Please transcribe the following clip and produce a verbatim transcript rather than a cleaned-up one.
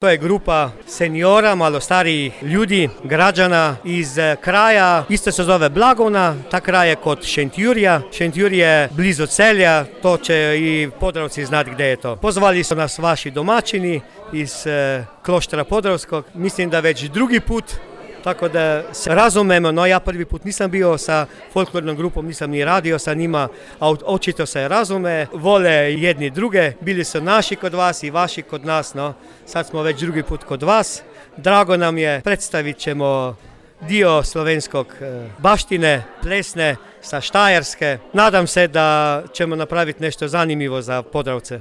To je grupa seniora, malo starijih ljudi, građana iz kraja, isto se zove Blagovna, ta kraj je kod Šentjurja. Šentjur je blizu Celja, to će i Podravci znati gdje je to. Pozvali su nas vaši domaćini iz e, Kloštara Podravskog, mislim da već drugi put, tako da se razumemo, no ja prvi put nisam bio sa folklornom grupom, nisam ni radio sa njima, a očito se razume, vole jedni druge, bili su naši kod vas i vaši kod nas, no sad smo već drugi put kod vas. Drago nam je, predstavit ćemo dio slovenskog baštine, plesne, sa Štajerske. Nadam se da ćemo napraviti nešto zanimljivo za Podravce.